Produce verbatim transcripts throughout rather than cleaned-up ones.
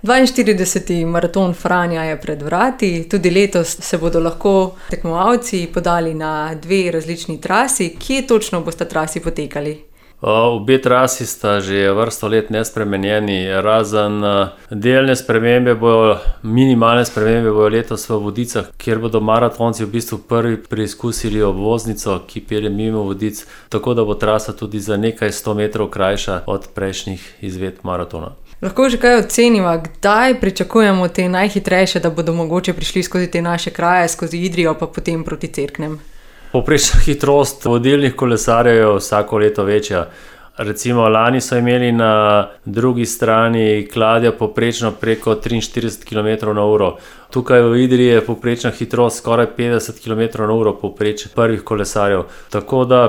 dvainštirideseti maraton Franja je pred vrati, tudi letos se bodo lahko tekmovalci podali na dve različni trasi. Kje točno bosta trasi potekali? Obe trasi sta že vrsto let nespremenjeni, razen delne spremembe bojo, minimalne spremembe bojo letos v Vodicah, kjer bodo maratonci v bistvu prvi preizkusili obvoznico, ki pelje mimo Vodic, tako da bo trasa tudi za nekaj sto metrov krajša od prejšnjih izvedb maratona. Lahko že kaj oceniva, kdaj pričakujemo te najhitrejše, da bodo mogoče prišli skozi te naše kraje, skozi Idrijo pa potem proti Cerknem? Povprečna hitrost vodilnih kolesarjev je vsako leto večja. Recimo lani so imeli na drugi strani Kladja povprečno preko triinštirideset kilometrov na uro. Tukaj v Idriji je povprečna hitrost skoraj petdeset kilometrov na uro povprečje prvih kolesarjev. Tako da,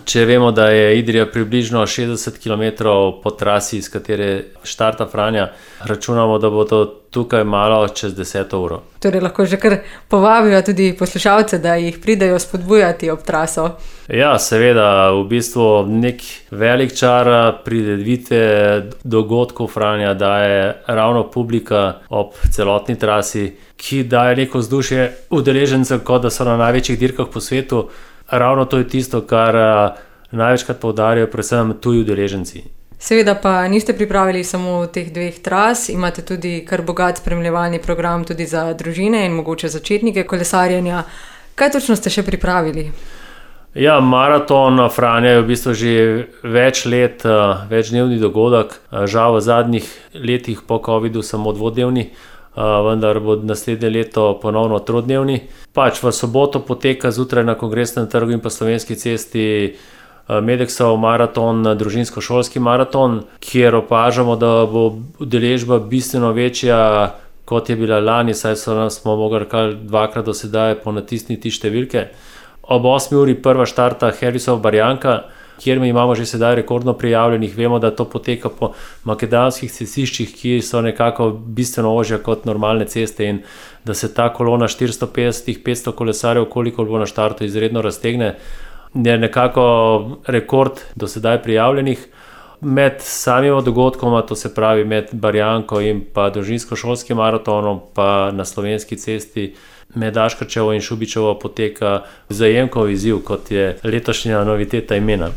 če vemo, da je Idrija približno šestdeset kilometrov po trasi, iz katere štarta Franja, računamo, da bo to tukaj malo čez deseto uro. Torej lahko že kar povabijo tudi poslušalce, da jih pridejo spodbujati ob traso. Ja, seveda, v bistvu nek velik čar prireditve dogodkov Franja daje ravno publika ob celotni trasi, ki daje neko vzdušje udeležencev, kot da so na največjih dirkah po svetu. Ravno to je tisto, kar največkrat poudarjajo predvsem tuji udeleženci. Seveda pa niste pripravili samo teh dveh tras, imate tudi kar bogat spremljevalni program tudi za družine in mogoče začetnike kolesarjenja. Kaj točno ste še pripravili? Ja, maraton Franja je v bistvu že več let, večdnevni dogodek. Žal v zadnjih letih po covidu samo dvodnevni, vendar bo naslednje leto ponovno trodnevni. Pač v soboto poteka zjutraj na Kongresnem trgu in pa Slovenski cesti Medexov maraton, družinsko-šolski maraton, kjer opažamo, da bo udeležba bistveno večja, kot je bila lani, saj smo mogli kar dvakrat do sedaj ponatisniti številke. Ob osmi uri prva štarta Harrisova Barjanka, kjer mi imamo že sedaj rekordno prijavljenih. Vemo, da to poteka po makadamskih cestiščih, ki so nekako bistveno ožja kot normalne ceste, in da se ta kolona štiristo petdeset do petsto kolesarjev, koliko bo na štartu, izredno raztegne. Je nekako rekord do sedaj prijavljenih. Med samima dogodkoma, to se pravi med Barjanko in pa družinsko-šolskim maratonom, pa na Slovenski cesti med Aškerčevo in Šubičevo poteka Vzajemkov izziv, kot je letošnja noviteta imena.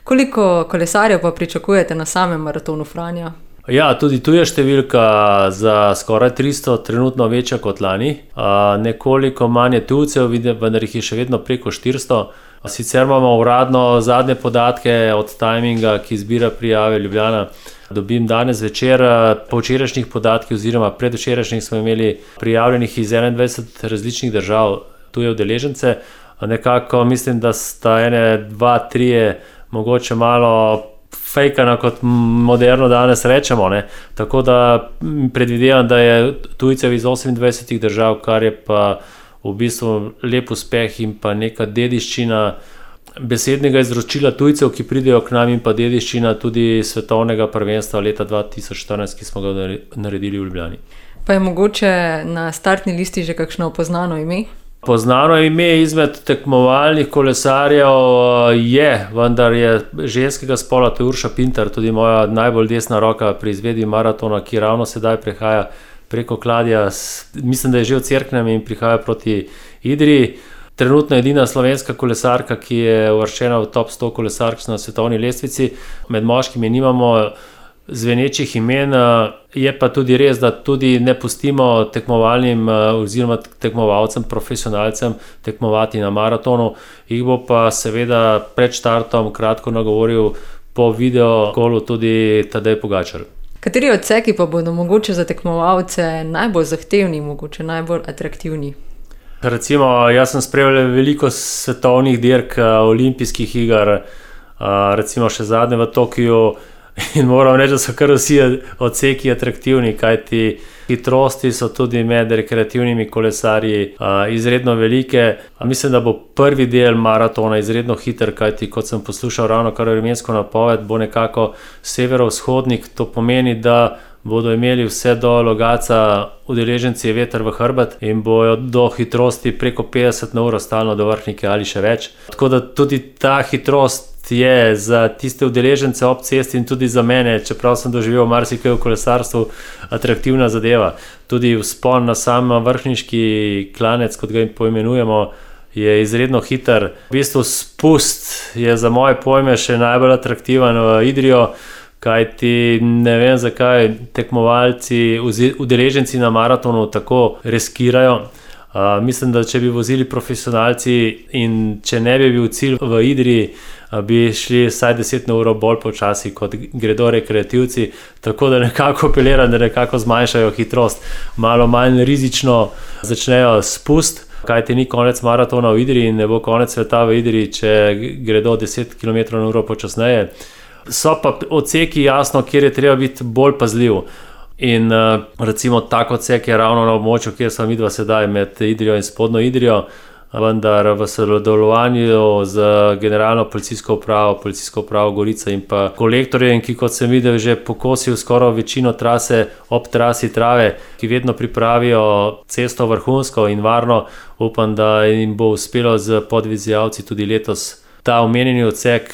Koliko kolesarjev pa pričakujete na samem maratonu Franja? Ja, tudi tu je številka za skoraj tristo, trenutno večja kot lani. Nekoliko manj je tujcev, vendar jih je še vedno preko štiristo. Sicer imamo uradno zadnje podatke od timinga, ki zbira prijave Ljubljana. Dobim danes večer. Po včerajšnjih podatkih oziroma predvčerajšnjih smo imeli prijavljenih iz enaindvajset različnih držav tuje udeležence. Nekako mislim, da sta ene, dva, trije mogoče malo fejkana, kot moderno danes rečemo, ne. Tako da predvidevam, da je tujcev iz osemindvajsetih držav, kar je pa v bistvu lep uspeh in pa neka dediščina besednega izročila tujcev, ki pridejo k nam, in pa dediščina tudi svetovnega prvenstva leta dva tisoč štirinajst, ki smo ga naredili v Ljubljani. Pa je mogoče na startni listi že kakšno poznano ime? Poznano ime izmed tekmovalnih kolesarjev je, vendar je ženskega spola, to je Urša Pintar, tudi moja najbolj desna roka pri izvedbi maratona, ki ravno sedaj prehaja preko Kladja, mislim, da je že v Cerknem in prihaja proti Idriji. Trenutno edina slovenska kolesarka, ki je uvrščena v top sto kolesark na svetovni lestvici. Med moškimi nimamo zvenečih imen, je pa tudi res, da tudi ne pustimo tekmovalnim oziroma tekmovalcem, profesionalcem tekmovati na maratonu. Jih bo pa seveda pred štartom kratko nagovoril po video kolu tudi Tadej Pogačar. Kateri odseki pa bodo mogoče za tekmovalce najbolj zahtevni, mogoče najbolj atraktivni? Recimo, jaz sem spremljal veliko svetovnih dirk, olimpijskih iger, recimo še zadnje v Tokiu, in moram reči, da so kar vsi odseki atraktivni, kajti hitrosti so tudi med rekreativnimi kolesarji izredno velike. Mislim, da bo prvi del maratona izredno hiter, kajti kot sem poslušal ravno kar vremensko napoved, bo nekako severovzhodnik. To pomeni, da bodo imeli vse do Logatca udeleženci veter v hrbet in bojo do hitrosti preko petdeset na uro stalno do Vrhnike ali še več. Tako da tudi ta hitrost Prednost je za tiste udeležence ob cesti in tudi za mene, čeprav sem doživel marsikaj v kolesarstvu, atraktivna zadeva. Tudi vzpon na sam vrhniški klanec, kot ga poimenujemo, je izredno hiter. V bistvu spust je za moje pojme še najbolj atraktiven v Idrijo, kajti ne vem, zakaj tekmovalci, udeleženci na maratonu tako riskirajo. Uh, mislim, da če bi vozili profesionalci in če ne bi bil cilj v Idriji, uh, bi šli vsaj deset ur bolj počasi, kot gredo rekreativci, tako da nekako apeliram, da nekako zmanjšajo hitrost, malo manj rizično začnejo spust, kajti ni konec maratona v Idriji in ne bo konec sveta v Idriji, če gredo deset kilometrov na uro počasneje. So pa odseki, jasno, kjer je treba biti bolj pazljiv. In recimo tak odsek je ravno na območju, kjer smo midva sedaj med Idrijo in Spodnjo Idrijo, vendar v sodelovanju z generalno policijsko upravo, policijsko upravo Gorica in pa kolektorjem, ki kot sem videl že pokosil skoraj večino trase ob trasi Trave, ki vedno pripravijo cesto vrhunsko in varno, upam, da jim bo uspelo z podvizijalci tudi letos ta omenjeni odsek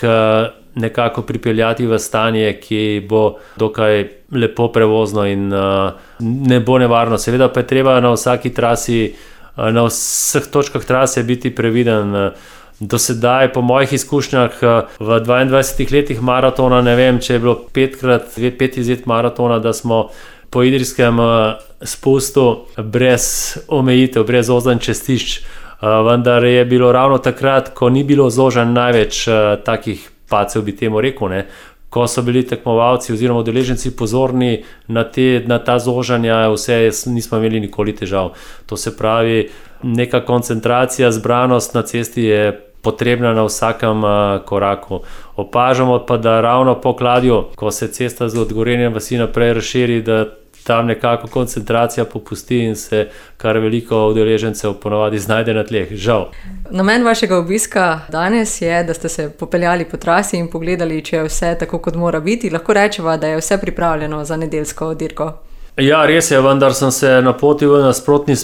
nekako pripeljati v stanje, ki bo dokaj lepo prevozno in uh, ne bo nevarno. Seveda pa je treba na vsaki trasi, uh, na vseh točkah trase biti previden. Do sedaj, po mojih izkušnjah, v dvaindvajsetih letih maratona, ne vem, če je bilo petkrat, pet izlet maratona, da smo po idrijskem uh, spustu brez omejitev, brez ozanj cestišč. Uh, vendar je bilo ravno takrat, ko ni bilo zožen največ uh, takih pacev, bi temu rekel, ne. Ko so bili tekmovalci oziroma udeleženci pozorni na, te, na ta zožanja, vse nismo imeli nikoli težav. To se pravi, neka koncentracija, zbranost na cesti je potrebna na vsakem uh, koraku. Opažamo pa, da ravno po Kladju, ko se cesta z od Gorenje vasi naprej razširi, da tam nekako koncentracija popusti in se kar veliko udeležencev ponovadi znajde na tleh, žal. Namen vašega obiska danes je, da ste se popeljali po trasi in pogledali, če je vse tako, kot mora biti. Lahko rečeva, da je vse pripravljeno za nedeljsko dirko. Ja, res je, vendar sem se napotil v nasprotni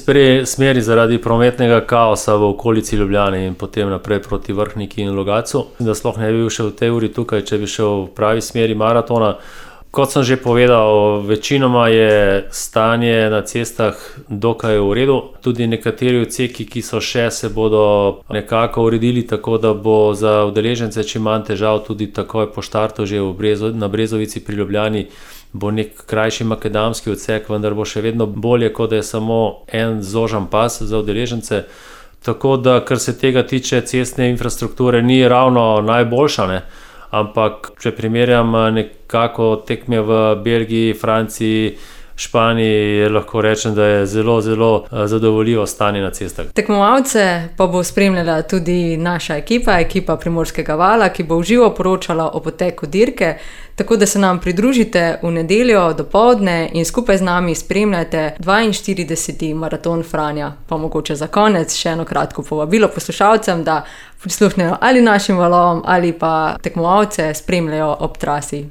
smeri zaradi prometnega kaosa v okolici Ljubljane in potem naprej proti Vrhniki in Logatcu. Da sploh ne bi bil še v tej uri tukaj, če bi šel v pravi smeri maratona. Kot sem že povedal, večinoma je stanje na cestah dokaj v redu. Tudi nekateri odseki, ki so še, se bodo nekako uredili tako, da bo za udeležence čim manj težav. Tudi takoj po štartu že v Brezo, na Brezovici pri Ljubljani bo nek krajši makadamski odsek, vendar bo še vedno bolje, kot da je samo en zožan pas za udeležence. Tako da, kar se tega tiče, cestne infrastrukture ni ravno najboljša, ne? Ampak če primerjam nekako tekme v Belgiji, Franciji, Španiji, lahko rečem, da je zelo, zelo zadovoljivo stanje na cestah. Tekmovalce pa bo spremljala tudi naša ekipa, ekipa Primorskega vala, ki bo v živo poročala o poteku dirke, tako da se nam pridružite v nedeljo dopoldne in skupaj z nami spremljajte dvainštirideseti maraton Franja. Pa mogoče za konec še eno kratko povabilo poslušalcem, da prisluhnejo ali našim valovom ali pa tekmovalce spremljajo ob trasi.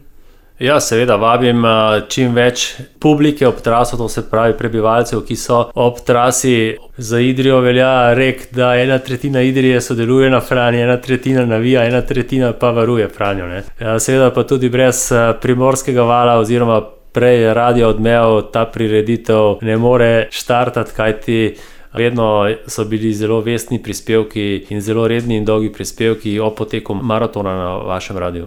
Ja, seveda, vabim čim več publike ob traso, to se pravi prebivalcev, ki so ob trasi. Za Idrijo velja rek, da ena tretjina Idrije sodeluje na Franji, ena tretjina navija, ena tretjina pa varuje Franjo, ne. Seveda pa tudi brez Primorskega vala oziroma prej Radio Odmev ta prireditev ne more štartati, kajti vedno so bili zelo vestni prispevki in zelo redni in dolgi prispevki o poteku maratona na vašem radiju.